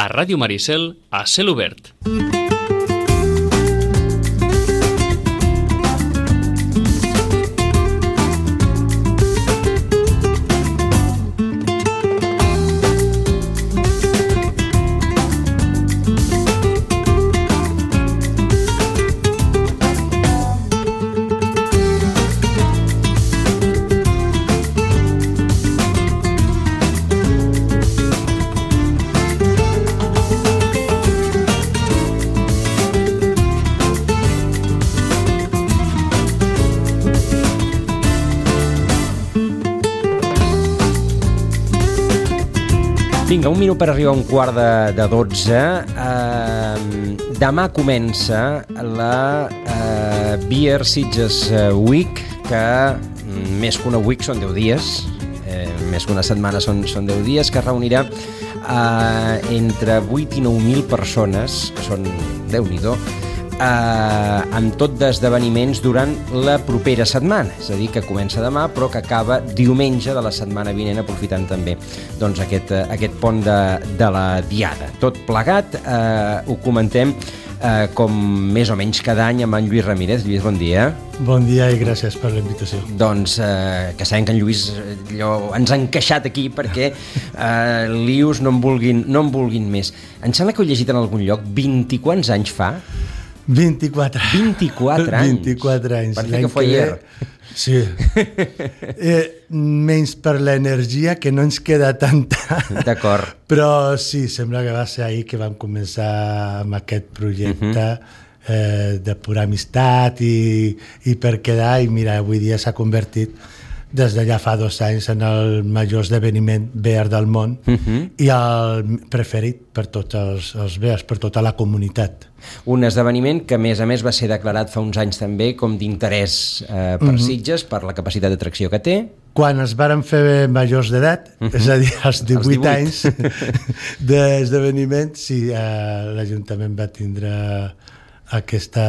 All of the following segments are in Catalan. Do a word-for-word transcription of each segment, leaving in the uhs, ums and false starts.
a Ràdio Maricel, a Cel Obert. Vinga, un minut per arribar a un quart de, de dotze. Uh, demà comença la uh, Beer Sitges Week, que més que una week són deu dies, eh, més que una setmana són, són deu dies, que reunirà uh, entre vuit i nou mil persones, que són Déu-n'hi-do, Uh, amb tot d'esdeveniments durant la propera setmana, és a dir, que comença demà però que acaba diumenge de la setmana vinent, aprofitant també doncs, aquest, uh, aquest pont de, de la Diada. Tot plegat, uh, ho comentem uh, com més o menys cada any amb en Lluís Ramírez. Lluís, bon dia. Bon dia i gràcies per la invitació. Doncs uh, que sabem que en Lluís allò, ens ha encaixat aquí perquè uh, lius no en vulguin, no en vulguin més. Em sembla que ho he llegit en algun lloc, vint-i-quants anys fa? vint-i-quatre. vint-i-quatre anys? vint-i-quatre anys. Parece que fue ayer. Sí. eh, menys per l'energia, que no ens queda tanta. D'acord. Però sí, sembla que va ser ahir que vam començar amb aquest projecte uh-huh. eh, de pura amistat i, i per quedar, i mira, avui dia s'ha convertit des de ja fa dos anys en el major esdeveniment beer del món uh-huh. i el preferit per tots els, els beers, per tota la comunitat. Un esdeveniment que a més a més va ser declarat fa uns anys també com d'interès eh, per uh-huh. Sitges, per la capacitat d'atracció que té. Quan es varen fer majors d'edat, uh-huh. és a dir, als divuit, divuit. anys d'esdeveniment, sí, eh, l'Ajuntament va tindre aquesta...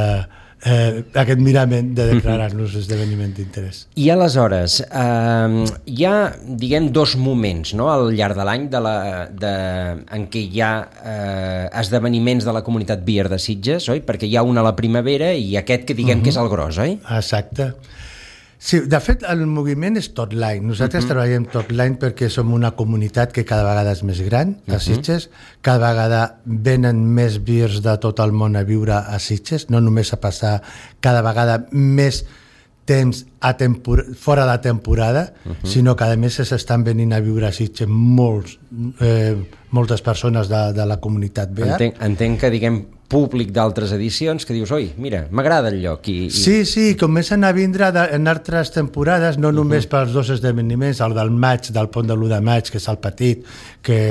Eh, aquest mirament de declarar-nos esdeveniment d'interès. I aleshores, eh, hi ha, diguem, dos moments, no?, al llarg de l'any de la, de, en què hi ha eh, esdeveniments de la comunitat beer de Sitges, oi? Perquè hi ha un a la primavera i aquest que diguem uh-huh. que és el gros, oi? Exacte. Sí, de fet, el moviment és tot l'any. Nosaltres uh-huh. treballem tot l'any perquè som una comunitat que cada vegada és més gran a Sitges, uh-huh. cada vegada venen més beers de tot el món a viure a Sitges, no només a passar cada vegada més temps a tempor- fora de temporada, uh-huh. sinó que a més s'estan venint a viure a Sitges molts, eh, moltes persones de, de la comunitat beer. Entenc, entenc que, diguem, públic d'altres edicions que dius, oi, mira, m'agrada el lloc. I, i... Sí, sí, comencen a vindre de, en altres temporades, no només uh-huh. pels dos esdeveniments, el del maig, del pont de l'u de maig, que és el petit, que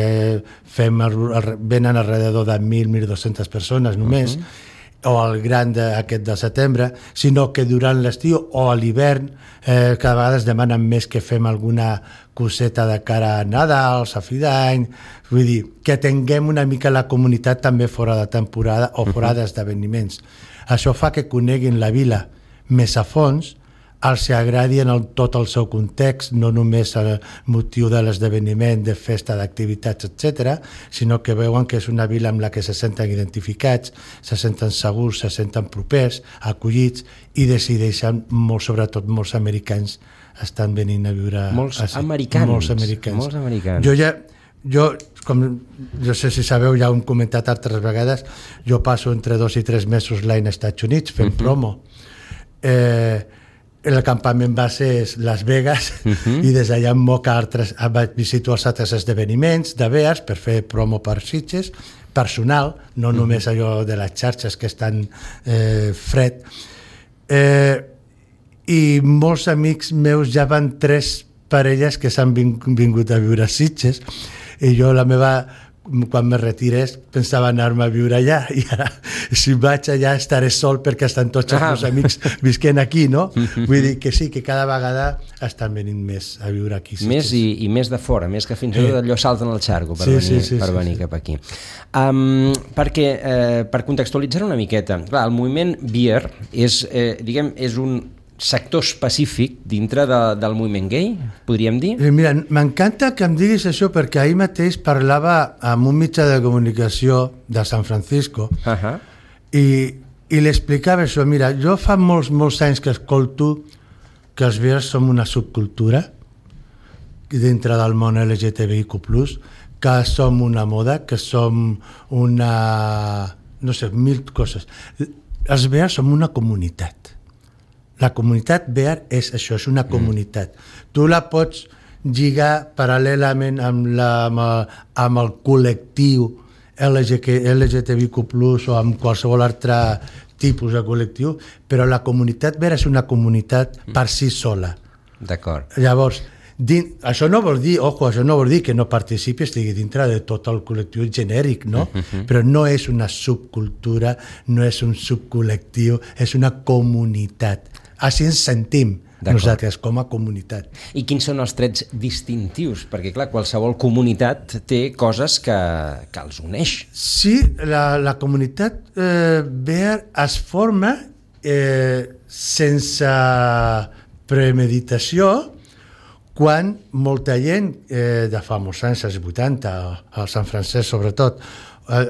fem el, el, venen alrededor de mil a mil dues-centes persones només, uh-huh. o el gran de, aquest de setembre, sinó que durant l'estiu o a l'hivern eh, cada vegada es demanen més que fem alguna coseta de cara a Nadal, a fi d'any, vull dir, que tinguem una mica la comunitat també fora de temporada o fora uh-huh. d'esdeveniments. Això fa que coneguin la vila més a fons, els agradi en el, tot el seu context, no només el motiu de l'esdeveniment, de festa, d'activitats, etcètera, sinó que veuen que és una vila amb la que se senten identificats, se senten segurs, se senten propers, acollits, i decideixen, molt, sobretot molts americans, estan venint a viure... Molts a, americans. Molts americans. Molts americans. Jo ja... Jo, com jo sé si sabeu, ja ho hem comentat altres vegades, jo passo entre dos i tres mesos l'any als Estats Units fent uh-huh. promo. Eh, el campament base és Las Vegas uh-huh. i des d'allà em moca altres, visito els altres esdeveniments de beers per fer promo per Sitges, personal, no uh-huh. només allò de les xarxes que estan eh, fred. Eh, I molts amics meus ja van tres parelles que s'han vingut a viure a Sitges, i jo la meva, quan me retirés, pensava anar-me a viure allà, i ara, si vaig allà estaré sol perquè estan tots els meus amics visquent aquí, no? Vull dir que sí, que cada vegada estan venint més a viure aquí. Més i, i més de fora, més que fins i tot allò salten al xargo per sí, venir, sí, sí, per sí, venir sí. cap aquí. Um, perquè, eh, per contextualitzar una miqueta, clar, el moviment beer és, eh, diguem, és un sector específic dintre de, del moviment gay, podríem dir? Mira, m'encanta que em diguis això perquè ahir mateix parlava amb un mitjà de comunicació de San Francisco uh-huh. i, i li explicava això. Mira, jo fa molts, molts anys que escolto que els bears som una subcultura dintre del món L G T B I Q plus, que som una moda, que som una... no sé, mil coses. Els bears som una comunitat. La comunitat bear és això, és una comunitat. Mm. Tu la pots lligar paral·lelament amb, la, amb, el, amb el col·lectiu L G T B I Q plus, o amb qualsevol altre tipus de col·lectiu, però la comunitat bear és una comunitat mm. per si sola. D'acord. Llavors, din, això no vol dir, ojo, això no vol dir que no participi, estigui dintre de tot el col·lectiu genèric, no? Mm-hmm. Però no és una subcultura, no és un subcol·lectiu, és una comunitat. Així ens sentim nosaltres com a comunitat. I quins són els trets distintius? Perquè, clar, qualsevol comunitat té coses que, que els uneix. Sí, la, la comunitat eh, bear es forma eh, sense premeditació quan molta gent eh, de fa molts anys, als vuitanta, al Sant Francesc sobretot, eh,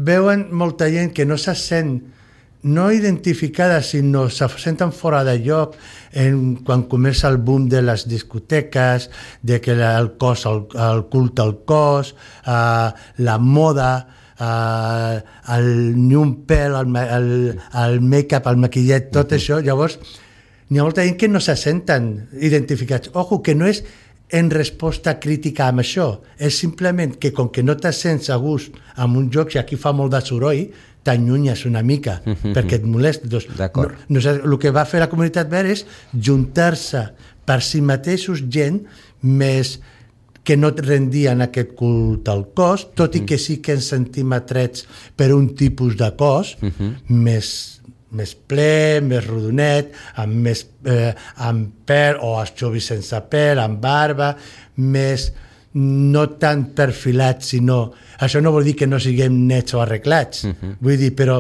veuen molta gent que no se sent no identificada, sinó se senten fora de lloc en, quan comença el boom de les discoteques, de que el cos, el, el culte al cos, eh, la moda, eh, el ni un pèl, el, el, el make-up, el maquillet, tot uh-huh. això. Llavors, n'hi ha molta gent que no se senten identificats. Ojo, que no és en resposta crítica amb això, és simplement que com que no te sents a gust amb un joc, i aquí fa molt de soroll, t'allunyes una mica, mm-hmm. perquè et molesta. Doncs, D'acord. No, no, el que va fer la comunitat bear és juntar-se per si mateixos gent més que no rendien aquest culte al cos, tot mm-hmm. i que sí que ens sentim atrets per un tipus de cos mm-hmm. més, més ple, més rodonet, amb, més, eh, amb pèl, o els xovis sense pèl, amb barba, més no tan perfilats, sinó... Això no vol dir que no siguem nets o arreglats, uh-huh. vull dir, però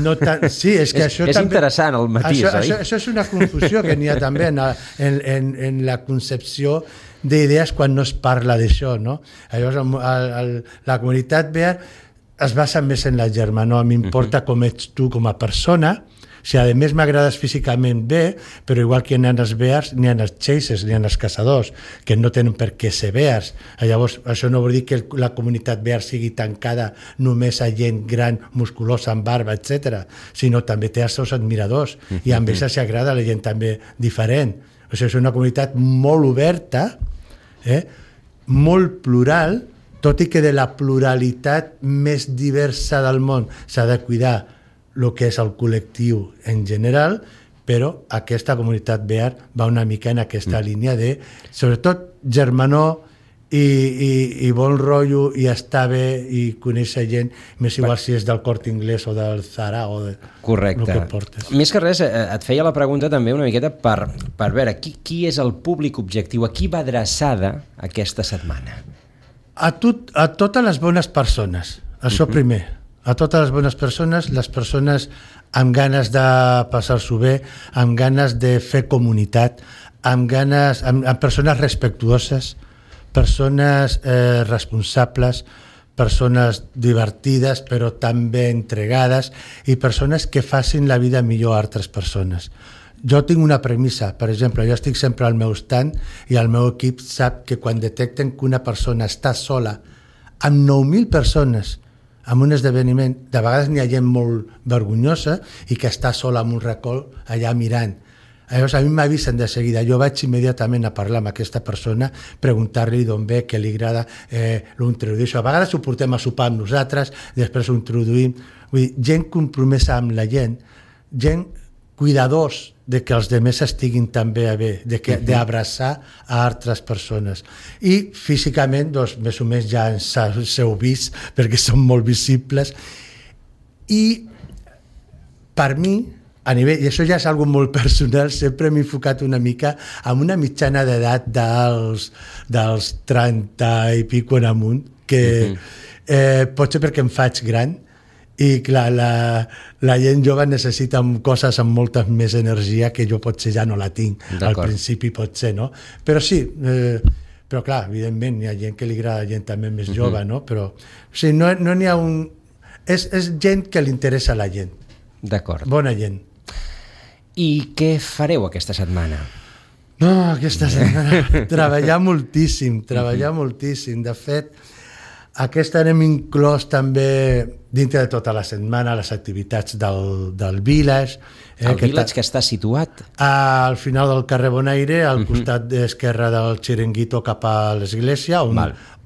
no tan... Sí, és que és, això és també... interessant el matís, això, oi? Això, això és una confusió que n'hi ha també en, en, en, en la concepció d'idees quan no es parla d'això, no? Llavors, el, el, la comunitat bear es basa més en la germanor, m'importa uh-huh. com ets tu com a persona. Si a més m'agrades físicament bé, però igual que n'hi ha els bears, n'hi ha els chasers, n'hi ha els caçadors, que no tenen per què ser bears. Llavors, això no vol dir que la comunitat bear sigui tancada només a gent gran, musculosa, amb barba, etcètera, sinó també té els seus admiradors, mm-hmm. i amb ells s'agrada la gent també diferent. O sigui, és una comunitat molt oberta, eh? molt plural, tot i que de la pluralitat més diversa del món s'ha de cuidar el que és el col·lectiu en general, però aquesta comunitat bear va una mica en aquesta mm. línia de, sobretot, germanor i, i, i bon rotllo, i estar bé i conèixer gent, més igual si és del Corte Inglés o del Zara o de Correcte. El que portes. Més que res, et feia la pregunta també una miqueta per, per veure qui, qui és el públic objectiu, a qui va adreçada aquesta setmana? A, tot, a totes les bones persones, això uh-huh. primer. A totes les bones persones, les persones amb ganes de passar-s'ho bé, amb ganes de fer comunitat, amb ganes, amb, amb persones respectuoses, persones eh, responsables, persones divertides però també entregades, i persones que facin la vida millor a altres persones. Jo tinc una premissa, per exemple, jo estic sempre al meu stand i el meu equip sap que quan detecten que una persona està sola amb nou mil persones en un esdeveniment, de vegades n'hi ha gent molt vergonyosa i que està sola en un racó allà mirant. Llavors a mi m'avisen de seguida, jo vaig immediatament a parlar amb aquesta persona, preguntar-li d'on ve, què li agrada, eh, lo introdueixo. A vegades ho portem a sopar amb nosaltres, després ho introduïm. Vull dir, gent compromesa amb la gent, gent cuidadors de que els demés estiguin també bé, de que, uh-huh. d'abraçar a altres persones. I físicament, doncs, més o menys ja ens heu vist, perquè són molt visibles. I per mi, a nivell, i això ja és algo molt personal, sempre m'he enfocat una mica amb una mitjana d'edat dels, dels trenta i pico en amunt, que uh-huh. eh, potser perquè em faig gran, i clar, la, la gent jove necessita coses amb molta més energia que jo potser ja no la tinc al principi potser, no? Però sí, eh, però clar, evidentment hi ha gent que li agrada gent també més jove, uh-huh. no? Però o sigui, no no n'hi ha un... És, és gent que li interessa a la gent. D'acord. Bona gent. I què fareu aquesta setmana? No, aquesta setmana treballar moltíssim, treballar uh-huh. moltíssim. De fet, aquesta hem inclòs també dintre de tota la setmana les activitats del, del Village. Eh, el que Village que està situat? Al final del carrer Bonaire, al uh-huh. costat d'esquerra del Xiringuito cap a l'església, on,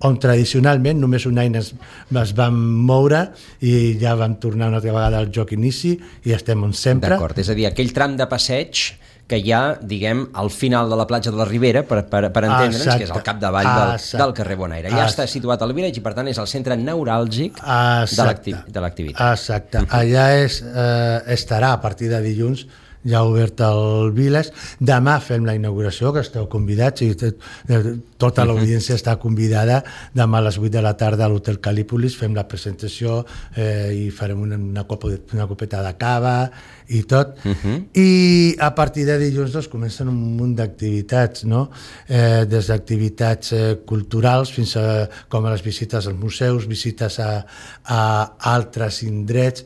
on tradicionalment només un any es, es vam moure i ja vam tornar una altra vegada al joc inici i estem on sempre. D'acord, és a dir, aquell tram de passeig que hi ha, diguem, al final de la platja de la Ribera, per, per, per entendre'ns, exacte. Que és el capdavall del, del carrer Bonaire. Ja està situat al Village i, per tant, és el centre neuràlgic exacte. de l'activitat. Exacte. Uh-huh. Allà és, eh, estarà a partir de dilluns ja obert el Village. Demà fem la inauguració, que esteu convidats, i tota l'audiència està convidada. Demà a les vuit de la tarda a l'Hotel Calípolis fem la presentació eh, i farem una, una, copa de, una copeta de cava i tot. Uh-huh. I a partir de dilluns doncs, comencen un munt d'activitats, no? Eh, des d'activitats eh, culturals fins a com a les visites als museus, visites a, a altres indrets.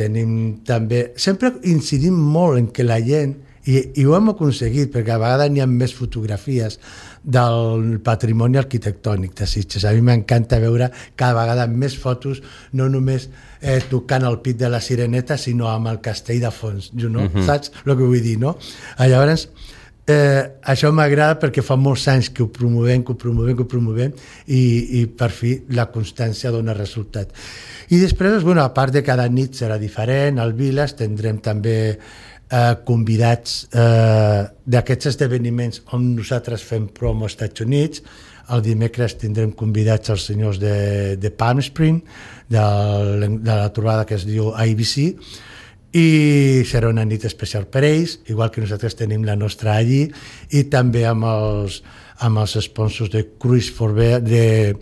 Tenim també... Sempre incidim molt en que la gent, i, i ho hem aconseguit, perquè a vegades n'hi ha més fotografies del patrimoni arquitectònic de Sitges. A mi m'encanta veure cada vegada més fotos, no només eh, tocant el pit de la Sireneta, sinó amb el castell de fons. You know? Uh-huh. Saps el que vull dir, no? Llavors, eh, això m'agrada perquè fa molts anys que ho promovem, que ho promovem, que ho promovem, i, i per fi la constància dona resultat. I després, bueno, a part de cada nit serà diferent, al Village tindrem també eh, convidats eh, d'aquests esdeveniments on nosaltres fem promo als Estats Units. El dimecres tindrem convidats els senyors de, de Palm Spring, de, de la trobada que es diu I B C, i serà una nit especial per ells, igual que nosaltres tenim la nostra allí, i també amb els, amb els sponsors de Cruise for Bear, de,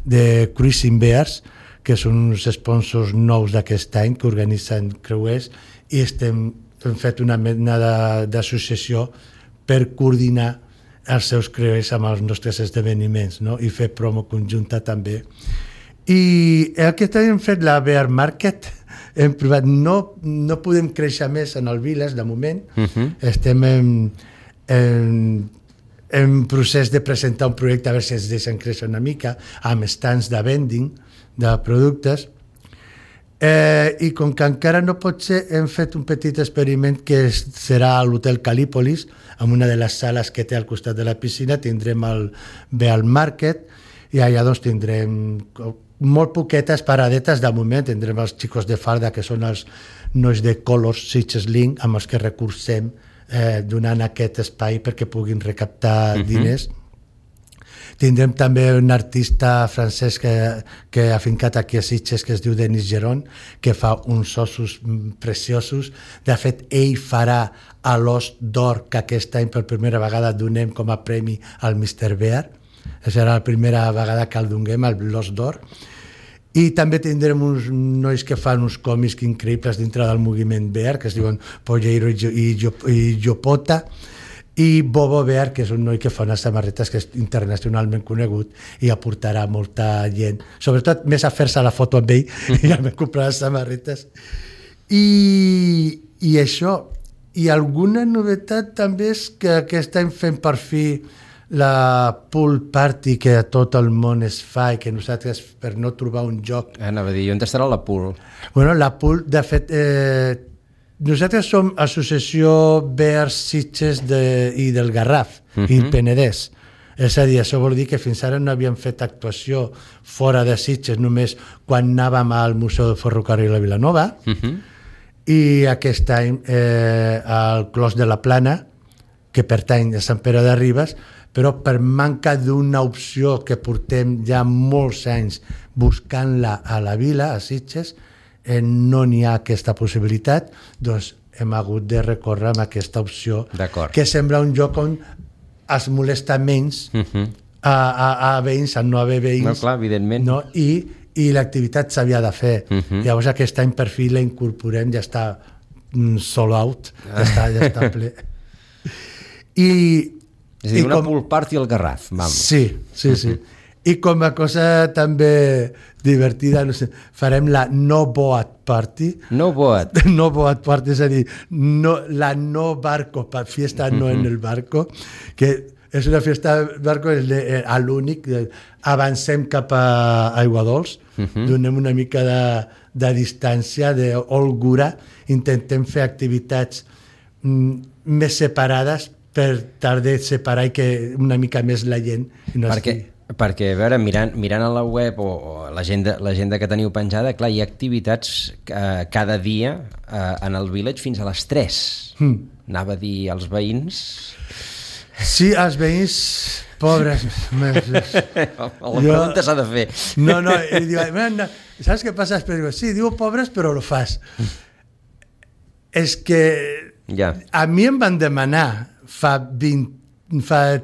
de Cruising Bears, que són uns sponsors nous d'aquest any que organitzen creuers, i estem, hem fet una mena d'associació per coordinar els seus creuers amb els nostres esdeveniments, no? I fer promo conjunta també. I aquest any hem fet la Bear Market, hem provat, no, no podem créixer més en el Village de moment, uh-huh. estem en, en, en procés de presentar un projecte a veure si ens deixen créixer una mica, amb stands de vending de productes, eh, i com que encara no pot ser, hem fet un petit experiment que és, serà a l'Hotel Calípolis, en una de les sales que té al costat de la piscina, tindrem el Bear Market, i allà doncs tindrem molt poquetes paradetes de moment, tindrem els xicos de farda, que són els nois de Colors Sitges Link, amb els que recursem eh, donant aquest espai perquè puguin recaptar uh-huh. diners. Tindrem també un artista francès que, que ha fincat aquí a Sitges, que es diu Denis Geron, que fa uns ossos preciosos. De fet, ell farà a l'os d'or que aquest any per primera vegada donem com a premi al mister Bear. Serà la primera vegada que el donem, l'os d'or. I també tindrem uns nois que fan uns còmics increïbles dintre del moviment Bear, que es diuen Polleiro i Jopota, i Bobo Bear, que és un noi que fa unes samarretes que és internacionalment conegut i aportarà molta gent, sobretot més a fer-se la foto amb ell i ja m'he comprat les samarretes. I, i això, i alguna novetat també és que aquest any fem per fi la pool party que a tot el món es fa i que nosaltres, per no trobar un joc... Anava a dir, on estarà la pool? Bueno, la pool, de fet... Eh, nosaltres som associació Bears Sitges de, i del Garraf, uh-huh. i Penedès. És a dir, això vol dir que fins ara no havíem fet actuació fora de Sitges, només quan anàvem al Museu del Ferrocarril a Vilanova, uh-huh. i aquest any eh, al Clos de la Plana, que pertany a Sant Pere de Ribes, però per manca d'una opció que portem ja molts anys buscant-la a la vila, a Sitges, eh, no n'hi ha aquesta possibilitat, doncs hem hagut de recórrer amb aquesta opció, que sembla un lloc on es molesta menys uh-huh. a, a, a veïns, a no haver veïns. No, clar, evidentment. No? I, i l'activitat s'havia de fer. Uh-huh. Llavors aquest any per fi la incorporem, ja està sold out, ja està, ja està ple. I, és a dir, i una com... pool party al Garraf. Vamos. Sí, sí, sí. Uh-huh. I com a cosa també divertida, no sé, farem la no boat party. No boat. No boat party, és a dir, no, la no barco, fiesta no uh-huh. en el barco, que és una fiesta de barco, és a l'únic, avancem cap a Aiguadols, uh-huh. donem una mica de, de distància, d'holgura, intentem fer activitats mm, més separades per tarde separar i que una mica més la gent no perquè, estigui. Perquè, a veure, mirant, mirant a la web o, o l'agenda l'agenda que teniu penjada, clar, hi ha activitats eh, cada dia eh, en el village fins a les tres. Mm. Anava a dir als veïns... Sí, els veïns pobres. La pregunta s'ha de fer. No, no, i diu, no, saps què passa? Diu, sí, diu pobres, però lo fas. És que ja. A mi em van demanar fa vint, fa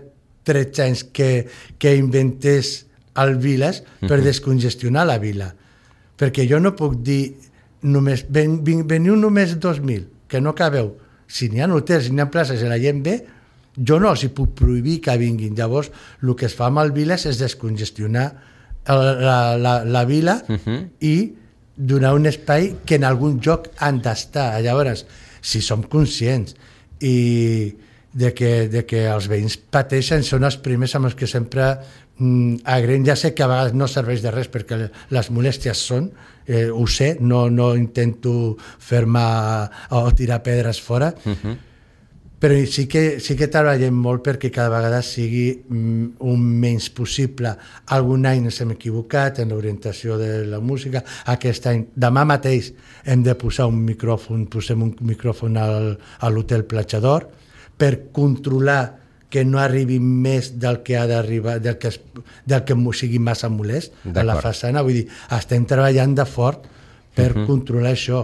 tretze anys que, que inventés el Viles per descongestionar la vila. Perquè jo no puc dir només, ven, ven, veniu només dos mil, que no cabeu. Si n'hi ha hotels, si n'hi ha places i la gent ve, jo no els hi puc prohibir que vinguin. Llavors, el que es fa amb el Viles és descongestionar la, la, la vila uh-huh. i donar un espai que en algun lloc han d'estar. Llavors, si som conscients i de que, de que els veïns pateixen, són els primers amb els que sempre mm, agraïm. Ja sé que a vegades no serveix de res perquè les molèsties són, eh, ho sé, no, no intento fer-me o tirar pedres fora, uh-huh. però sí que, sí que treballem molt perquè cada vegada sigui mm, un menys possible. Algun any ens hem equivocat en l'orientació de la música, aquest any, demà mateix hem de posar un micròfon, posem un micròfon al, a l'Hotel Platjador per controlar que no arribi més del que ha d'arribar, del que, es, del que sigui massa molest a la façana. Vull dir, estem treballant de fort per uh-huh. controlar això.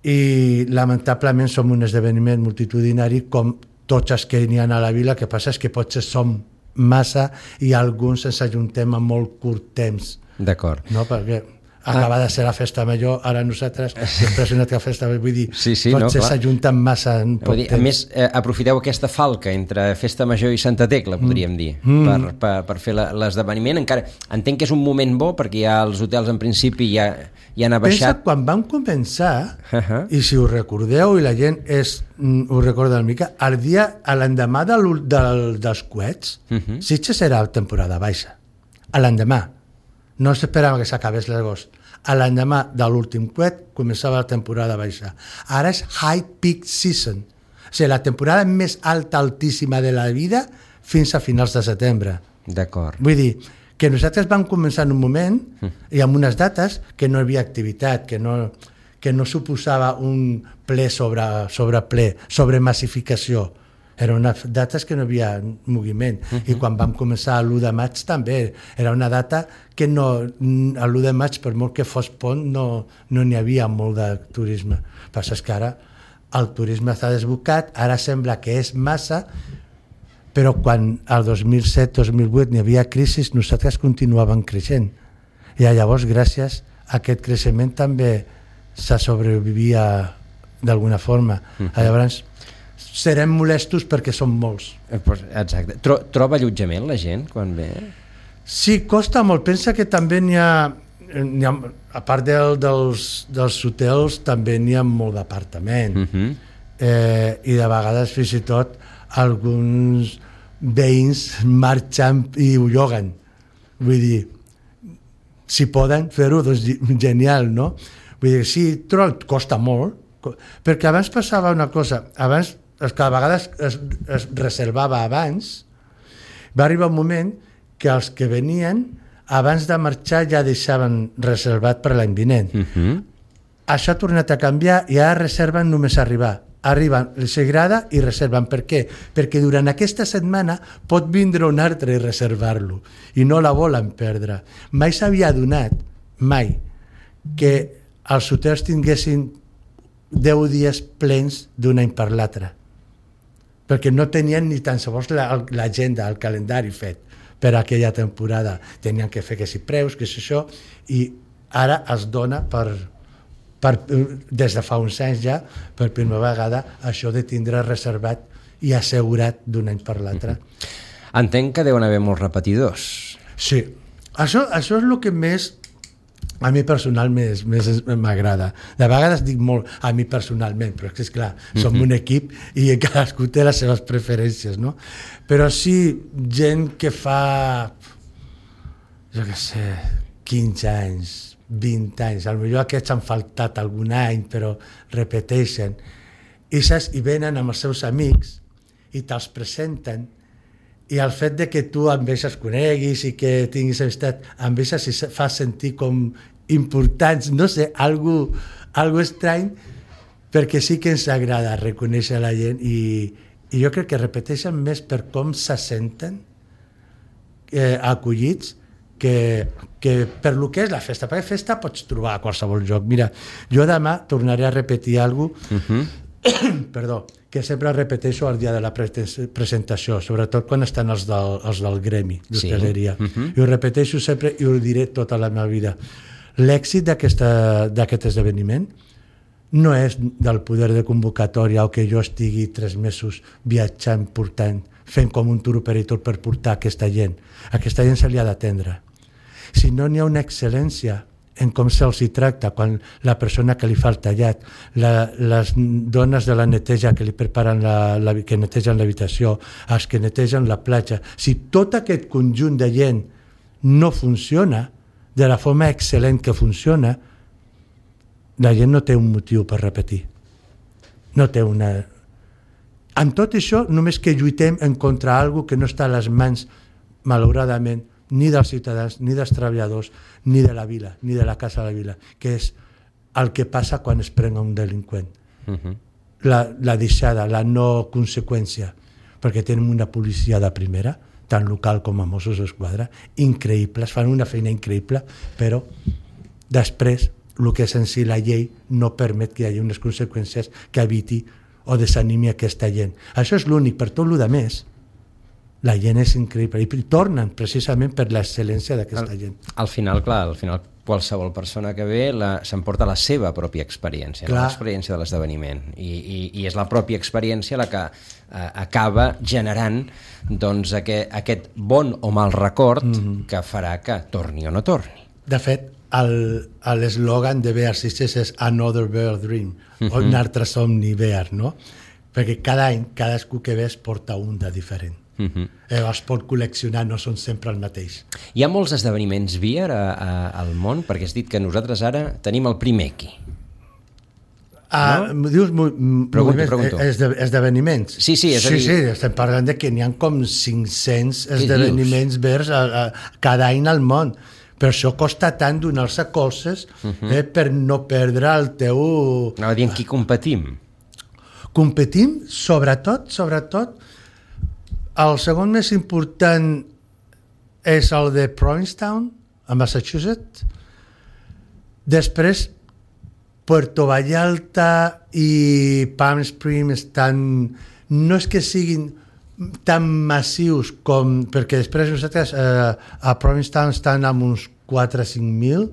I lamentablement som un esdeveniment multitudinari com tots els que n'hi ha a la vila, que passa és que potser som massa i alguns ens ajuntem a molt curt temps. D'acord. No, perquè acaba de ser la festa major, ara nosaltres després una altra festa, vull dir, sí, sí, potser no, s'ajunten massa en poc dir, temps. A més, eh, aprofiteu aquesta falca entre Festa Major i Santa Tecla, podríem dir, mm. per, per, per fer la, l'esdeveniment. Encara entenc que és un moment bo, perquè ja els hotels en principi ja, ja han abaixat. Pensa, quan vam començar, uh-huh. i si ho recordeu, i la gent és, mm, ho recorda una mica, el dia, a l'endemà de del, dels coets, uh-huh. Sitges era temporada baixa. A l'endemà. No s'esperava que s'acabés l'agost. A l'endemà de l'últim coet començava la temporada baixa. Ara és high peak season. O sigui, la temporada més alta, altíssima de la vida fins a finals de setembre. D'acord. Vull dir, que nosaltres vam començar en un moment i amb unes dates que no hi havia activitat, que no, que no suposava un ple sobre, sobre ple, sobre massificació. Eren unes dates que no hi havia moviment. Uh-huh. I quan vam començar l'u de maig també era una data que no, a l'u de maig, per molt que fos pont, no no n'hi havia molt de turisme. El que passa és que ara el turisme està desbocat, ara sembla que és massa, però quan al dos mil set dos mil vuit n'hi havia crisi, nosaltres continuàvem creixent. I llavors, gràcies a aquest creixement, també se sobrevivia d'alguna forma. Uh-huh. Llavors, serem molestos perquè som molts. Exacte. Tro, troba allotjament la gent quan ve? Sí, costa molt. Pensa que també n'hi ha, n'hi ha a part del, dels, dels hotels, també n'hi ha molt d'apartament. Uh-huh. eh, I de vegades, fins i tot, alguns veïns marxen i ho lloguen. Vull dir, si poden fer-ho, doncs genial, no? Vull dir, sí, però costa molt, perquè abans passava una cosa, abans que a vegades es, es reservava abans, va arribar un moment que els que venien abans de marxar ja deixaven reservat per l'any vinent. Uh-huh. Això ha tornat a canviar i ara reserven només arribar. Arriben, els agrada i reserven. Per què? Perquè durant aquesta setmana pot vindre un altre i reservar-lo i no la volen perdre. Mai s'havia donat, mai, que els hotels tinguessin deu dies plens d'un any per l'altre, perquè no tenien ni tan sols l'agenda, el calendari fet per aquella temporada. Tenien que fer que si preus, que si això, i ara es dona per, per, des de fa uns anys ja, per primera vegada, això de tindre reservat i assegurat d'un any per l'altre. Mm-hmm. Entenc que deuen haver molts repetidors. Sí, això, això és el que més a mi personalment més, més m'agrada. De vegades dic molt a mi personalment, però és que, esclar, som mm-hmm. un equip i cadascú té les seves preferències, no? Però sí, gent que fa, jo què sé, quinze anys, vint anys, potser aquests han faltat algun any, però repeteixen, i, saps, i venen amb els seus amics i te'ls presenten, i el fet de que tu amb ells es coneguis i que tinguis amistat amb ells si fa sentir com importants, no sé, algo, algo estrany, perquè sí que ens agrada reconèixer la gent i, i jo crec que repeteixen més per com se senten eh, acollits que, que per lo que és la festa, perquè festa pots trobar a qualsevol lloc. Mira, jo demà tornaré a repetir alguna cosa, uh-huh. perdó, que sempre repeteixo el dia de la presentació, sobretot quan estan els del, els del gremi d'hostaleria. Sí. Uh-huh. I ho repeteixo sempre i ho diré tota la meva vida. L'èxit d'aquest esdeveniment no és del poder de convocatòria o que jo estigui tres mesos viatjant, portant, fent com un tour operator per portar aquesta gent. Aquesta gent se li ha d'atendre. Si no n'hi ha una excel·lència en com se'ls hi tracta, quan la persona que li fa el tallat, la, les dones de la neteja que li preparen la, la, que netegen l'habitació, els que netegen la platja, si tot aquest conjunt de gent no funciona de la forma excel·lent que funciona, la gent no té un motiu per repetir. No té una... Amb tot això, només que lluitem en contra alguna que no està a les mans, malauradament, ni dels ciutadans, ni dels treballadors, ni de la vila, ni de la Casa de la Vila, que és el que passa quan es prenga un delinqüent. Uh-huh. La, la deixada, la no conseqüència, perquè tenim una policia de primera, tant local com a Mossos d'Esquadra, increïbles, fan una feina increïble, però després el que és en si la llei no permet que hi hagi unes conseqüències que eviti o desanimi aquesta gent. Això és l'únic, per tot el que més, la gent és increïble i tornen precisament per l'excel·lència d'aquesta gent. Al final, clar, al final qualsevol persona que ve s'emporta la seva pròpia experiència, no? L'experiència de l'esdeveniment, I, i, i és la pròpia experiència la que eh, acaba generant doncs, aquest, aquest bon o mal record mm-hmm. que farà que torni o no torni. De fet, l'eslògan de Bear Sisters és Another Bear Dream, mm-hmm. o un altre somni Bear, no? Perquè cada any, cadascú que ve es porta un de diferent. Uh-huh. Eh, es pot col·leccionar, no són sempre el mateix. Hi ha molts esdeveniments beer a, a, al món, perquè has dit que nosaltres ara tenim el primer aquí. Uh, no? Dius pregunto, pregunto. Esde, esdeveniments? Sí, sí, és sí, dir... sí, estem parlant de que n'hi ha com cinc-cents esdeveniments verds a, a, cada any al món. Per això costa tant donar-se colzes uh-huh. eh, per no perdre el teu... Anava dient qui competim. Competim, sobretot, sobretot, el segon més important és el de Provincetown, a Massachusetts. Després, Puerto Vallarta i Palm Springs estan... No és que siguin tan massius com... Perquè després nosaltres eh, a Provincetown estan amb uns quatre o cinc mil.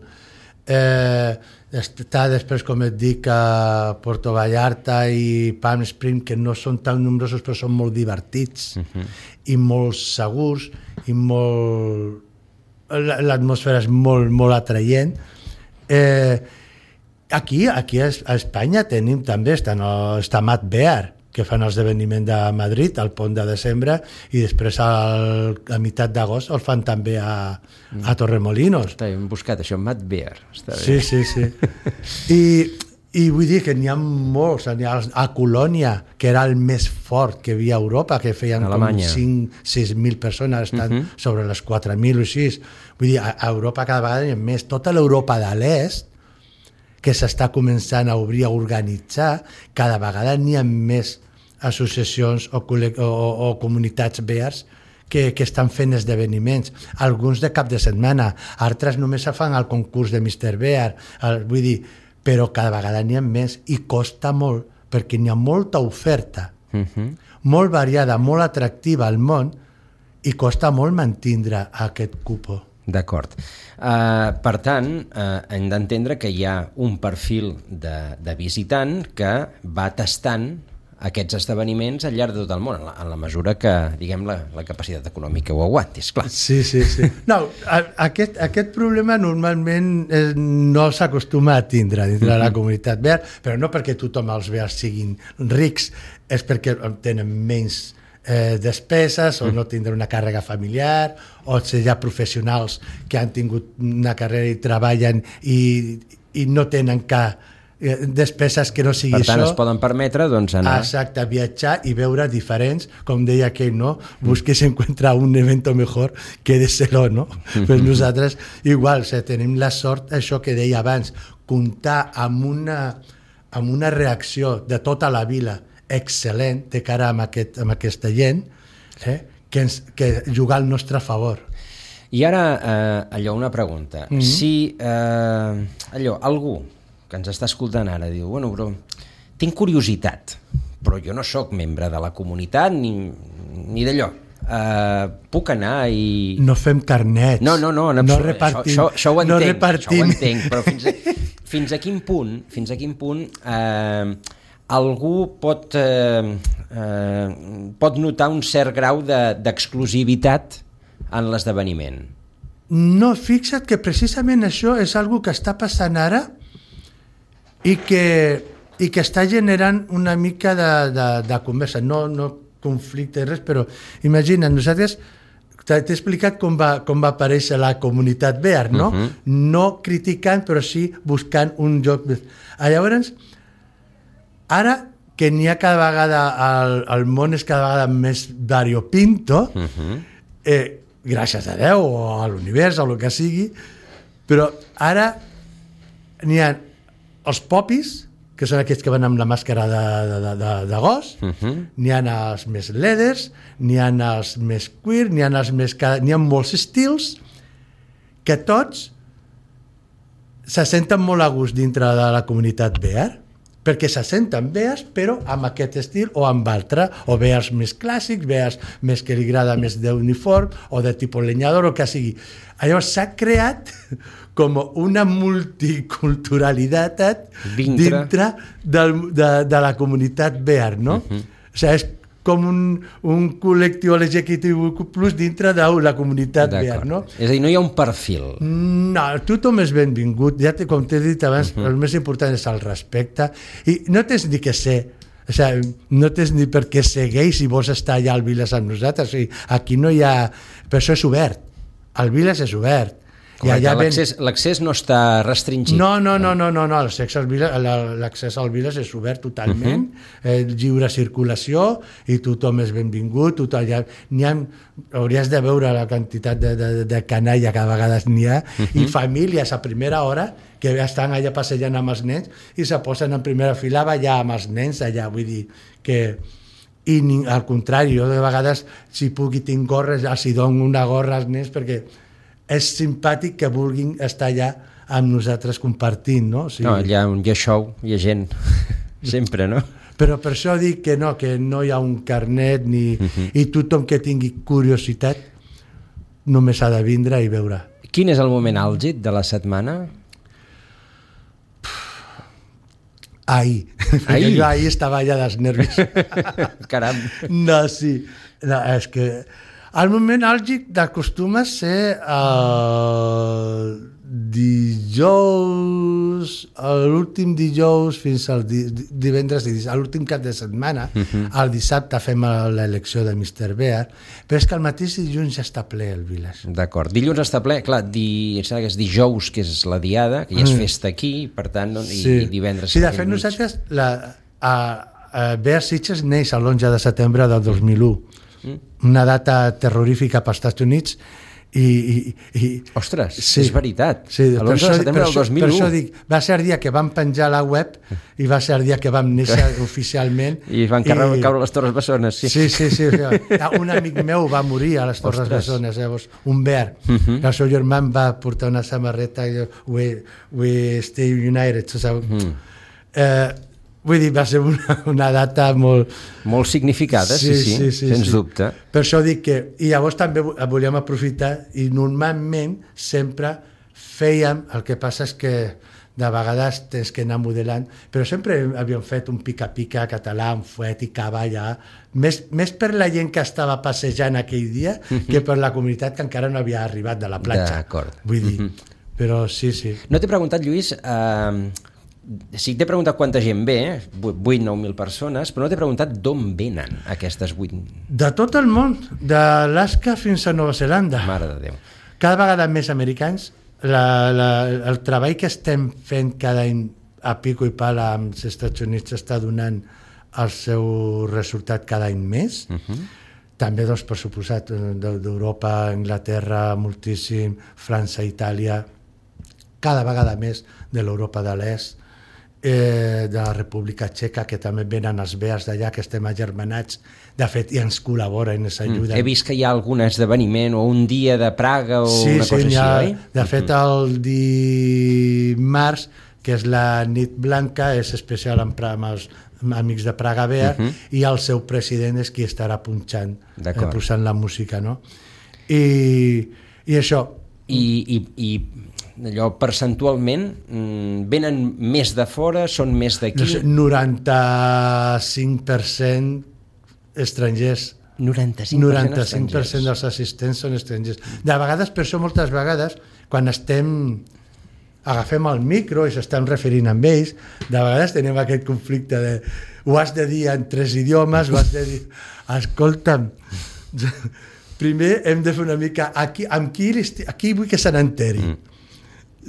Eh, està després, com et dic, a Puerto Vallarta i Palm Springs, que no són tan nombrosos però són molt divertits uh-huh. i molt segurs i molt... l'atmosfera és molt, molt atraient. Eh, aquí, aquí a Espanya tenim també, està, no, està Mad Bear, que fan l'esdeveniment de Madrid al pont de desembre i després al, a meitat d'agost el fan també a, a Torremolinos. Està, hem buscat això, Mad Bear. Està bé. Sí, sí, sí. I, I vull dir que n'hi ha molts. N'hi ha a Colònia, que era el més fort que hi havia a Europa, que feien Alemanya. Com cinc o sis mil persones, estan uh-huh. sobre les quatre mil o així. Vull dir, a, a Europa cada vegada hi ha més. Tota l'Europa de l'Est, que s'està començant a obrir, a organitzar, cada vegada n'hi ha més associacions o, o, o comunitats bears que, que estan fent esdeveniments, alguns de cap de setmana, altres només se fan el concurs de mister Bear, el, vull dir, però cada vegada n'hi ha més i costa molt, perquè n'hi ha molta oferta, uh-huh. molt variada, molt atractiva al món, i costa molt mantindre aquest cupo. D'acord. Uh, per tant, uh, hem d'entendre que hi ha un perfil de, de visitant que va tastant aquests esdeveniments al llarg de tot el món, en la, en la mesura que, diguem, la, la capacitat econòmica ho aguanti, esclar. Sí, sí, sí. No, a, aquest, aquest problema normalment eh, no s'acostuma a tindre dintre de la comunitat verd, però no perquè tothom els verds siguin rics, és perquè tenen menys eh, despeses o no tindran una càrrega familiar, o si hi ha professionals que han tingut una carrera i treballen i, i no tenen cap despeses que no sigui per tant, això. Es poden permetre doncs, anar... Exacte, viatjar i veure diferents, com deia aquell, no? Busques encontrar un evento mejor que de ser-ho, no? Però nosaltres, igual, o sigui, tenim la sort, això que deia abans, comptar amb una, amb una reacció de tota la vila excel·lent de cara amb, aquest, amb aquesta gent, eh? que, ens, que jugar al nostre favor. I ara, eh, allò, una pregunta. Mm-hmm. Si, eh, allò, algú que ens està escoltant ara, diu, bueno, però tinc curiositat, però jo no sóc membre de la comunitat ni, ni d'allò. Uh, puc anar i... No fem carnets. No, no, no, en no absolut. repartim. Això, això, això ho entenc, no repartim. això ho entenc, però fins a, fins a quin punt, fins a quin punt eh, algú pot, eh, eh, pot notar un cert grau de, d'exclusivitat en l'esdeveniment? No, fixa't que precisament això és algo que està passant ara i que, i que està generant una mica de, de, de conversa, no, no conflicte, res, però imagina't, nosaltres t'he explicat com va, com va aparèixer la comunitat verd, no? Uh-huh. No criticant, però sí buscant un joc. Llavors, ara que n'hi ha cada vegada, el, el món és cada vegada més variopinto, uh-huh. eh, gràcies a Déu o a l'univers o el que sigui, però ara n'hi ha els popis, que són aquests que van amb la màscara de, de, de, de gos, uh-huh. n'hi ha els més leathers, n'hi ha els més queer, n'hi ha els més... N'hi ha molts estils que tots se senten molt a gust dintre de la comunitat verd, perquè se senten veas, però amb aquest estil o amb altre, o veas més clàssics, veas més que li agrada més d'uniform, o de tipus lenyador, o que sigui. Llavors s'ha creat com una multiculturalitat dintre, dintre del, de, de la comunitat verd, no? Uh-huh. O sigui, és com un, un col·lectiu L G B T Q plus dintre de la comunitat verd, no? És a dir, no hi ha un perfil. No, tothom és benvingut. Ja te, com t'he dit abans, uh-huh. el més important és el respecte. I no tens ni que ser, o sigui, no tens ni per què ser gay si vols estar allà al Viles amb nosaltres. O sigui, aquí no hi ha... Però això és obert. El Viles és obert. Correcte, l'accés, ben... l'accés no està restringit. No, no, no, no, no, no. L'accés al Viles, l'accés al Viles és obert totalment, uh-huh. eh, lliure circulació i tothom és benvingut. Tothom, ja, n'hi ha, hauries de veure la quantitat de, de, de canalla que a vegades n'hi ha, uh-huh. i famílies a primera hora que estan allà passejant amb els nens i se posen en primera fila a ballar amb els nens allà, vull dir que... I ni, al contrari, jo de vegades si puc i tinc gorres, els hi dono una gorra als nens perquè és simpàtic que vulguin estar allà amb nosaltres compartint, no? O sigui, no, allà on hi ha show, hi ha gent, sempre, no? Però per això dic que no, que no hi ha un carnet ni, uh-huh. i tothom que tingui curiositat només ha de vindre i veure. Quin és el moment àlgid de la setmana? Ahir. Ahir? Jo ahir estava allà dels nervis. Caram. No, sí. No, és que el moment àlgid acostuma a ser el dijous, l'últim dijous fins al di, divendres, l'últim cap de setmana, uh-huh. el dissabte fem l'elecció de mister Bear, però és que el mateix dilluns ja està ple el Viles. D'acord, dilluns està ple, clar, di, que és dijous, que és la diada, que ja és festa aquí, per tant, no, i, sí. i divendres... Sí, de fet nosaltres, la, a, a Bear Sitges neix l'onze de setembre del dos mil u, mm. una data terrorífica per als Estats Units, i, i, i ostres, sí, és veritat, sí, l'onze de setembre del dos mil u. Per això dic, va ser el dia que vam penjar la web i va ser el dia que vam néixer oficialment i van i... caure les Torres Bessones. Sí, sí, sí, sí, sí. Un amic meu va morir a les Torres ostres. Bessones, llavors, un verd, uh-huh. el seu germà em va portar una samarreta i we, we stay united, saps? Uh-huh. eh, Vull dir, va ser una, una data molt... Molt significada, sí, sí, sí, sí, sí sens sí. dubte. Per això dic que... I llavors també volíem aprofitar i normalment sempre fèiem, el que passa és que de vegades tens que anar modelant, però sempre havíem fet un pica-pica català, un fuet i cava allà, més, més per la gent que estava passejant aquell dia mm-hmm. que per la comunitat que encara no havia arribat de la platja. D'acord. Vull dir, mm-hmm. però sí, sí. No t'he preguntat, Lluís, eh, sí que t'he preguntat quanta gent ve, vuit nou mil persones, però no t'he preguntat d'on venen aquestes vuit... De tot el món, d'Alaska fins a Nova Zelanda. Mare de Déu. Cada vegada més americans. La, la, el treball que estem fent cada any a pico i pala amb els Estats Units està donant el seu resultat cada any més. Uh-huh. També, doncs, per suposat, d'Europa, Anglaterra, moltíssim, França, Itàlia, cada vegada més de l'Europa de l'Est, eh, de la República Txeca, que també venen els bears d'allà, que estem agermanats, de fet, i ens col·laboren, ens ajuden. Mm. He vist que hi ha algun esdeveniment o un dia de Praga o sí, una sí, cosa així, ha, oi? De fet, el dimarts, que és la nit blanca, és especial amb, amb els amics de Praga Bear, uh -huh. i el seu president és qui estarà punxant, eh, posant la música, no? I, i això... I, i, i allò percentualment venen més de fora, són més d'aquí? No sé, noranta-cinc per cent estrangers. noranta-cinc per cent noranta-cinc per cent dels assistents són estrangers. De vegades, per això, moltes vegades, quan estem agafem el micro i s'estan referint amb ells, de vegades tenim aquest conflicte de ho has de dir en tres idiomes, ho has de dir... Escolta'm, primer hem de fer una mica... Aquí, amb qui, aquí vull que se n'enteri. Mm.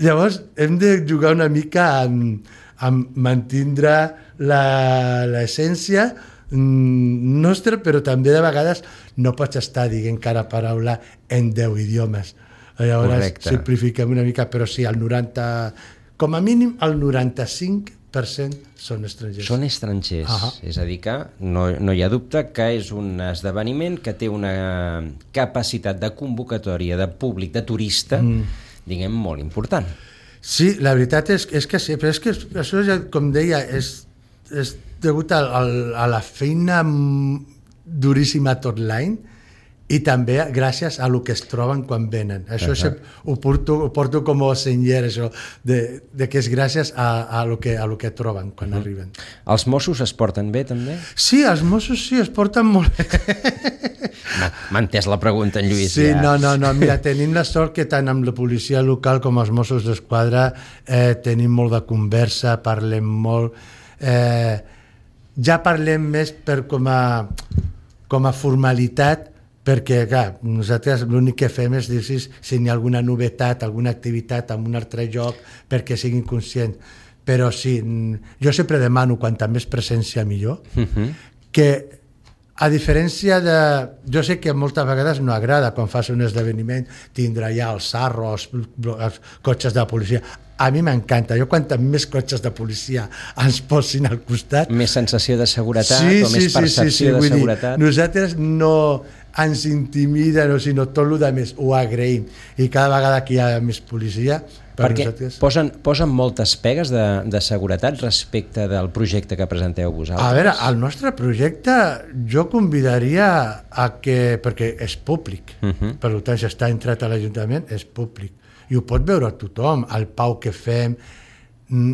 Llavors, hem de jugar una mica amb, amb mantindre l'essència nostra, però també de vegades no pots estar dient cada paraula en deu idiomes. Llavors Correcte. Simplifiquem una mica, però sí, el noranta, com a mínim el noranta-cinc per cent són estrangers. Són estrangers, uh -huh. És a dir que no, no hi ha dubte que és un esdeveniment que té una capacitat de convocatòria de públic, de turista, mm. diguem, molt important. Sí, la veritat és, és que sí, però és que això, ja, com deia, és, és degut a, a, a la feina duríssima tot l'any i també gràcies a lo que es troben quan venen. Això uh-huh. ho, porto, ho porto com a senyer, això, de, de que és gràcies a, a, lo, que, a lo que troben quan uh-huh. arriben. Els Mossos es porten bé, també? Sí, els Mossos sí, es porten molt bé. M'ha entès la pregunta, en Lluís. Sí, ja. no, no, no, mira, tenim la sort que tant amb la policia local com els Mossos d'Esquadra eh, tenim molt de conversa, parlem molt... Eh, ja parlem més per com a, com a formalitat, perquè, clar, nosaltres l'únic que fem és dir si, si hi ha alguna novetat, alguna activitat en un altre lloc, perquè siguin conscients. Però sí, jo sempre demano quanta més presència millor, uh-huh. que a diferència de... Jo sé que moltes vegades no agrada quan fas un esdeveniment tindre ja els sarros, els, els cotxes de la policia. A mi m'encanta. Jo quanta més cotxes de policia ens posin al costat... Més sensació de seguretat sí, o sí, més percepció sí, sí, sí. de Vull seguretat? Dir, nosaltres no ens intimida, no, sinó tot el que més ho agraïm. I cada vegada que hi ha més policia... Per Perquè nosaltres... posen, posen moltes pegues de, de seguretat respecte del projecte que presenteu vosaltres? A veure, el nostre projecte jo convidaria a que... perquè és públic, uh-huh. per tant, si està entrat a l'Ajuntament, és públic. I ho pot veure tothom, el pau que fem,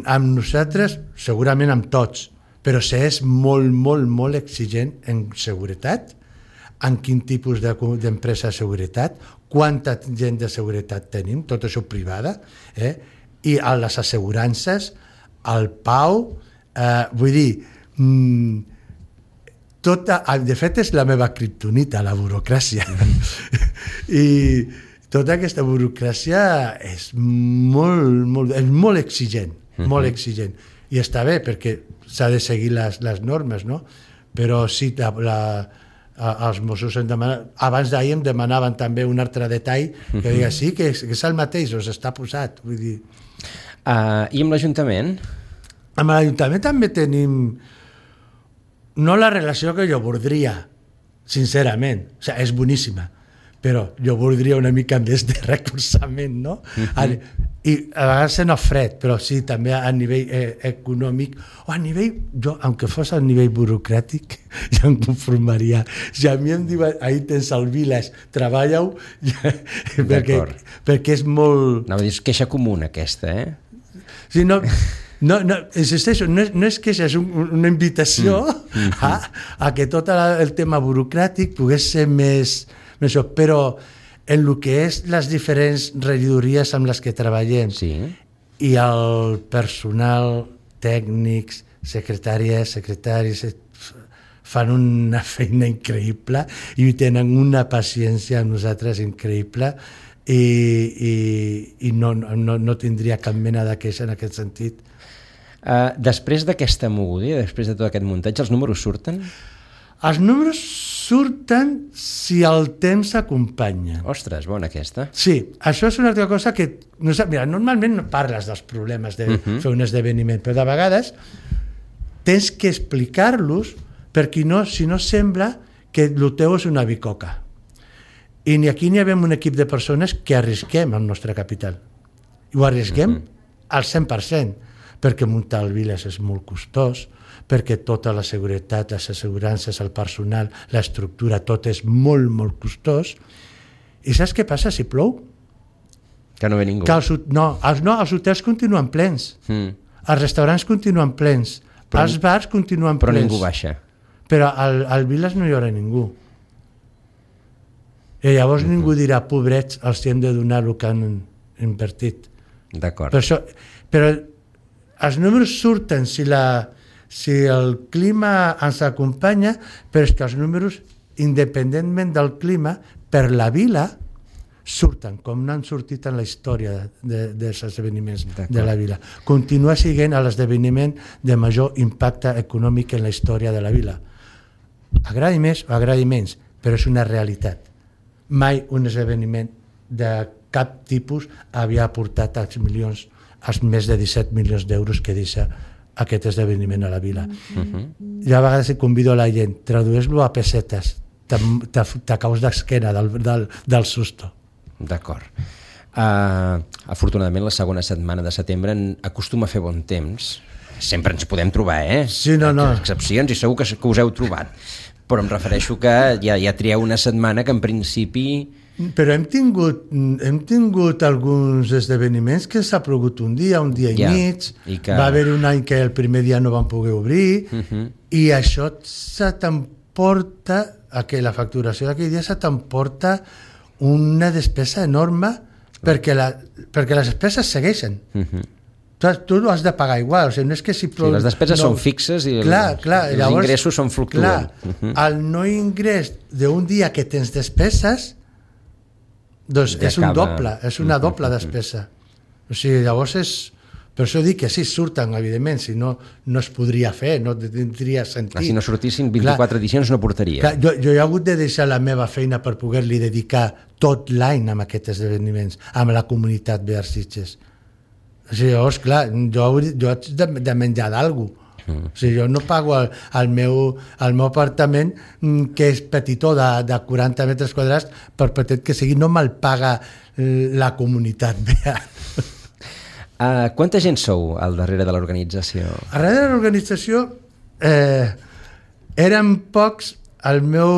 amb nosaltres, segurament amb tots, però s'és molt, molt, molt exigent en seguretat, en quin tipus d'empresa de seguretat, quanta gent de seguretat tenim, tot això privada, eh? I a les assegurances, el pau, eh, vull dir, mmm, tota, de fet és la meva kriptonita, la burocràcia. I tota aquesta burocràcia és molt, molt, és molt exigent, uh-huh. molt exigent. I està bé perquè s'ha de seguir les, les normes, no? Però sí, la, la, els Mossos em demanen, abans d'ahir em demanaven també un altre detall que uh-huh. diga sí, que és, que és el mateix, o està posat. Vull dir... Uh, I amb l'Ajuntament? Amb l'Ajuntament també tenim no la relació que jo voldria, sincerament, o sigui, és boníssima, però jo voldria una mica més de recolzament, no? Uh-huh. i a vegades no fred, però sí, també a nivell eh, econòmic, o a nivell, jo, aunque fos a nivell burocràtic, ja em conformaria. Si a mi em diuen, ahí tens el Viles, treballa-ho, ja, perquè, perquè és molt... No, és queixa comuna aquesta, eh? Sí, no, no, no, insisteixo, no és, no és queixa, és un, una invitació mm. a, a que tot el tema burocràtic pogués ser més... més però en el que és les diferents regidories amb les que treballem sí. i el personal, tècnics, secretàries, secretaris, fan una feina increïble i tenen una paciència amb nosaltres increïble i, i, i no, no, no tindria cap mena de queixa en aquest sentit. Uh, després d'aquesta moguda, després de tot aquest muntatge, els números surten? Els números surten si el temps s'acompanya. Ostres, bona aquesta. Sí, això és una altra cosa que... No sé, mira, normalment no parles dels problemes de uh-huh. fer un esdeveniment, però de vegades tens que explicar-los perquè no, si no sembla que el teu és una bicoca. I ni aquí ni havem un equip de persones que arrisquem el nostre capital. I ho arrisquem uh-huh. al cent per cent, perquè muntar el Viles és molt costós, perquè tota la seguretat, les assegurances, el personal, l'estructura, tot és molt, molt costós. I saps què passa si plou? Que no ve ningú. Que els, no, els, no, els hotels continuen plens, mm. els restaurants continuen plens, però, els bars continuen però plens. Però ningú baixa. Però al, al Viles no hi haurà ningú. I llavors mm-hmm. ningú dirà, pobrets, els hem de donar el que han invertit. D'acord. Per això, però els números surten si la... si el clima ens acompanya, però és que els números, independentment del clima, per la vila, surten, com no han sortit en la història de, dels esdeveniments de la vila. Continua sent l'esdeveniment de major impacte econòmic en la història de la vila. Agradi més o agradi menys, però és una realitat. Mai un esdeveniment de cap tipus havia aportat als milions, als més de disset milions d'euros que deixa aquest esdeveniment a la vila. Uh-huh. Jo a vegades convido a la gent, tradueix-lo a pessetes, t'acaus d'esquena del, del, del susto. D'acord. Uh, afortunadament la segona setmana de setembre acostuma a fer bon temps. Sempre ens podem trobar, eh? Sí, no, no. Excepcions i segur que, que us heu trobat. Però em refereixo que ja, ja trieu una setmana que en principi... Però hem tingut, hem tingut alguns esdeveniments que s'ha plogut un dia, un dia i ja, mig, i que... va haver un any que el primer dia no van poder obrir, uh-huh. i això se t'emporta, que la facturació d'aquell dia se t'emporta una despesa enorme perquè, la, perquè les despeses segueixen. Uh-huh. Tu, tu ho has de pagar igual, o sigui, no és que si plou... Sí, les despeses no... són fixes i clar, els, clar, els llavors, ingressos són fluctuants. Clar, uh-huh. el no ingrés d'un dia que tens despeses doncs ja és un doble, és una doble despesa. O sigui, llavors és... Per això dic que sí, surten, evidentment, si no, no es podria fer, no tindria sentit. Clar, si no sortissin vint-i-quatre clar, edicions no portaria. Clar, jo, jo he hagut de deixar la meva feina per poder-li dedicar tot l'any a aquests esdeveniments, amb la comunitat Bear Sitges. O sigui, llavors, clar, jo, jo haig de, de menjar d'algú. Mm. O sigui, jo no pago el, el, meu, el meu apartament, que és petitó, de, de quaranta metres quadrats, per petit que sigui, no me'l paga la comunitat Bear. Uh, quanta gent sou al darrere de l'organització? Al darrere de l'organització eh, érem pocs. El meu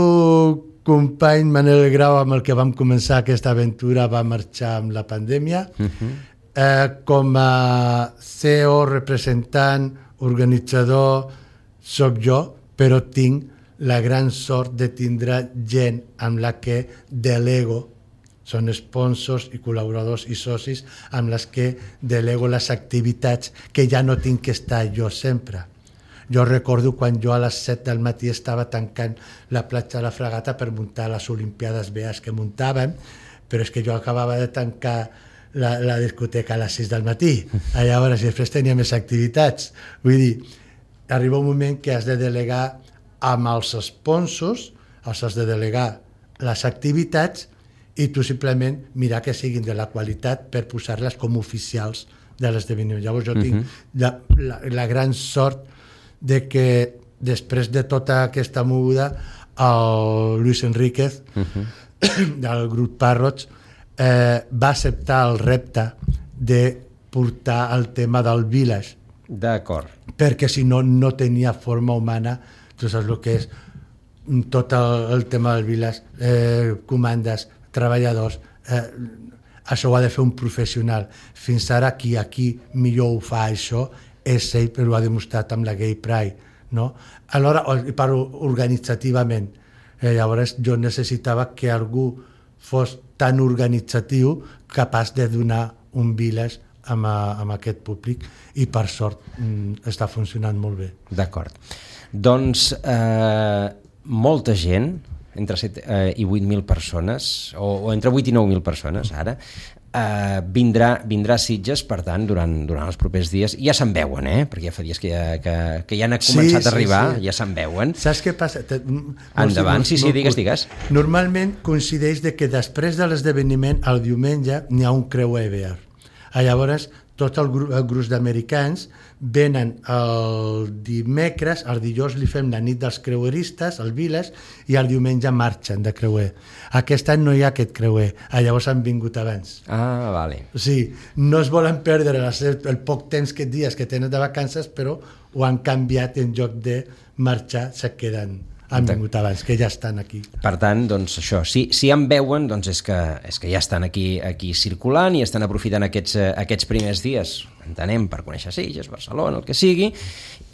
company Manel Grau, amb el que vam començar aquesta aventura, va marxar amb la pandèmia. Uh-huh. eh, com a C E O, representant, organitzador, soc jo, però tinc la gran sort de tindre gent amb la que delego. Són sponsors i col·laboradors i socis amb les que delego les activitats que ja no tinc que estar jo sempre. Jo recordo quan jo a les set del matí estava tancant la platja de la Fragata per muntar les Olimpiades Bears que muntàvem, però és que jo acabava de tancar la, la discoteca a les sis del matí. Llavors, després tenia més activitats. Vull dir, arriba un moment que has de delegar amb els sponsors, els has de delegar les activitats i tu simplement mirar que siguin de la qualitat per posar-les com oficials de l'esdeveniment. Llavors jo tinc uh-huh. la, la, la gran sort de que després de tota aquesta moguda el Luis Enríquez uh-huh. del grup Parrots eh, va acceptar el repte de portar el tema del village. D'acord. Perquè si no, no tenia forma humana, tu saps el que és tot el, el tema del village, eh, comandes, treballadors, eh, això ho ha de fer un professional. Fins ara qui aquí millor ho fa això és ell, però ho ha demostrat amb la Gay Pride, no? Alhora, per organitzativament, eh, llavors jo necessitava que algú fos tan organitzatiu capaç de donar un village amb, amb aquest públic i per sort mm, està funcionant molt bé. D'acord. Doncs eh, molta gent, entre set eh, i vuit mil persones, o, o entre vuit i nou mil persones ara, eh, vindrà, vindrà a Sitges, per tant, durant, durant els propers dies. Ja se'n veuen, eh? Perquè ja fa dies que ja, que, que ja han començat sí, a arribar, sí, sí. Ja se'n veuen. Saps què passa? Te, Endavant, sí, sí, digues, digues. Normalment coincideix de que després de l'esdeveniment, el diumenge, n'hi ha un creuer bear. Llavors, tot el, gru el gruix d'americans venen el dimecres, el dijous li fem la nit dels creueristes, el Village, i el diumenge marxen de creuer. Aquest any no hi ha aquest creuer, llavors han vingut abans. Ah, vale. O sigui, no es volen perdre el poc temps que dies que tenen de vacances, però ho han canviat, en lloc de marxar, se queden. Han vingut abans, que ja estan aquí. Per tant, doncs això, si, si en veuen, doncs és que, és que ja estan aquí, aquí circulant i estan aprofitant aquests, aquests primers dies, entenem, per conèixer Sitges, Barcelona, el que sigui,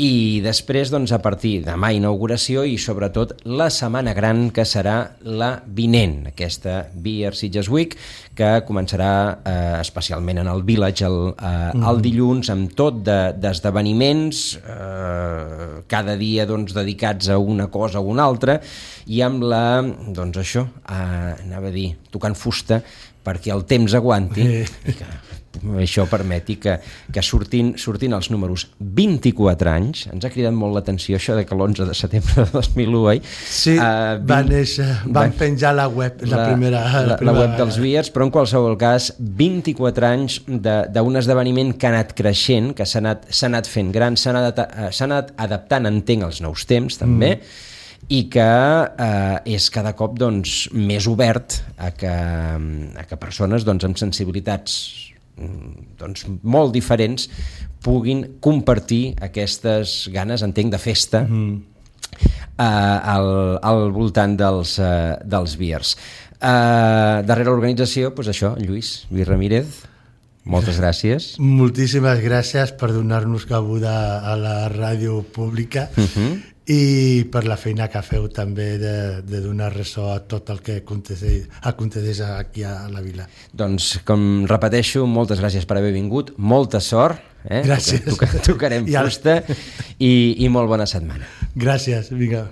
i després, doncs, a partir de demà inauguració i sobretot la setmana gran, que serà la vinent, aquesta Beer Sitges Week, que començarà eh, especialment en el Village el, eh, mm. el dilluns, amb tot d'esdeveniments, de, eh, cada dia doncs, dedicats a una cosa o una altra, i amb la, doncs això, eh, anava a dir, tocant fusta, perquè el temps aguanti eh. i que això permeti que, que surtin, surtin els números. Vint-i-quatre anys, ens ha cridat molt l'atenció això de que l'onze de setembre de dos mil u, oi? Sí, uh, vint, va néixer, van, van penjar la web, la, la, primera, la, la, primera... la web dels Beers, però en qualsevol cas, vint-i-quatre anys d'un esdeveniment que ha anat creixent, que s'ha anat, s'ha anat fent gran, s'ha anat, anat adaptant, entenc, als nous temps, també, mm. i que eh, és cada cop doncs, més obert a que, a que persones doncs, amb sensibilitats doncs, molt diferents puguin compartir aquestes ganes, entenc, de festa mm. eh, al, al voltant dels, eh, dels Beers. Eh, darrere l'organització, doncs això, Lluís, Lluís Ramírez, moltes gràcies. Moltíssimes gràcies per donar-nos cabuda a la ràdio pública uh-huh. i per la feina que feu també de, de donar ressò a tot el que aconteix, aconteix aquí a la vila. Doncs, com repeteixo, moltes gràcies per haver vingut, molta sort, eh? Gràcies. Toca, tocarem fusta i, i molt bona setmana. Gràcies, vinga.